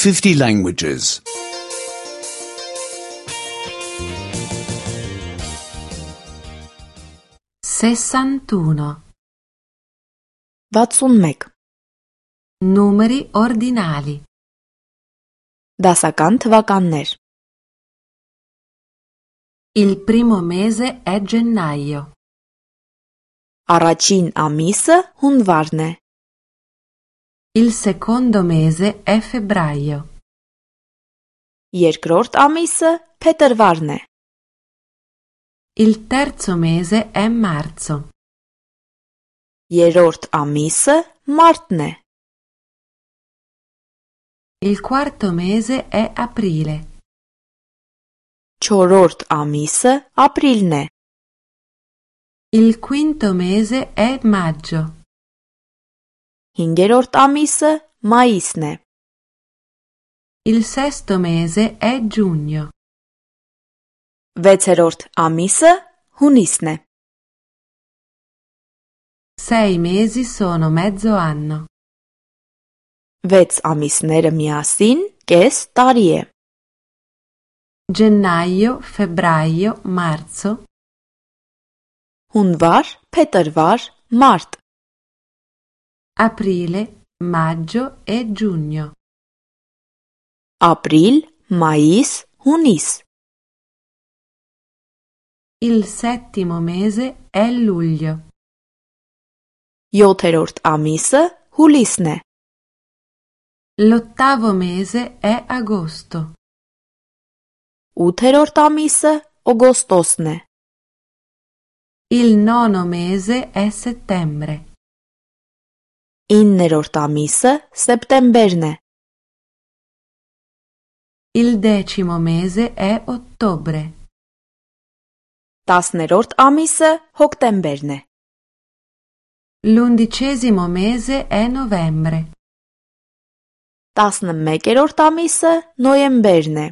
50 languages. 61. 61. Numeri ordinali. Դասական թվականներ. Il primo mese è gennaio. Առաջին ամիսը հունվարն է. Il secondo mese è febbraio. Երկրորդ ամիսը փետրվարն է. Il terzo mese è marzo. Երրորդ ամիսը մարտն է. Il quarto mese è aprile. Չորրորդ ամիսը ապրիլն է. Il quinto mese è maggio. Հինգերորդ ամիսը մայիսն է. Il sesto mese è giugno. Վեցերորդ ամիսը հունիսն է. 6 mesi sono mezzo anno. 6 ամիսները միասին կես տարի է. Gennaio, febbraio, marzo. Հունվար, փետրվար, մարտ. Aprile, maggio e giugno. Ապրիլ, մայիս, հունիս. Il settimo mese è luglio. 7-րդ ամիսը հուլիսն է. L'ottavo mese è agosto. 8-րդ ամիսը օգոստոսն է. Il nono mese è settembre. 9-րդ ամիսը սեպտեմբերն է. Il decimo mese è ottobre. 10-րդ ամիսը հոկտեմբերն է. L'undicesimo mese è novembre. 11-րդ ամիսը նոյեմբերն է.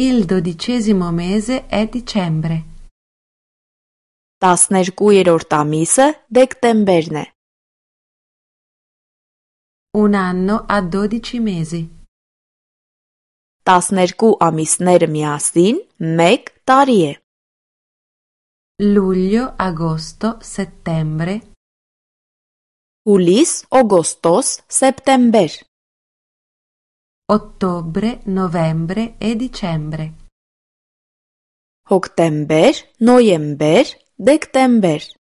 Il dodicesimo mese è dicembre. 12-րդ ամիսը դեկտեմբերն է. Un anno ha 12 mesi. 12 ամիսները միասին 1 տարի է. Luglio, agosto, settembre. Հուլիս, օգոստոս, սեպտեմբեր. Ottobre, novembre e dicembre. Հոկտեմբեր, նոյեմբեր, դեկտեմբեր.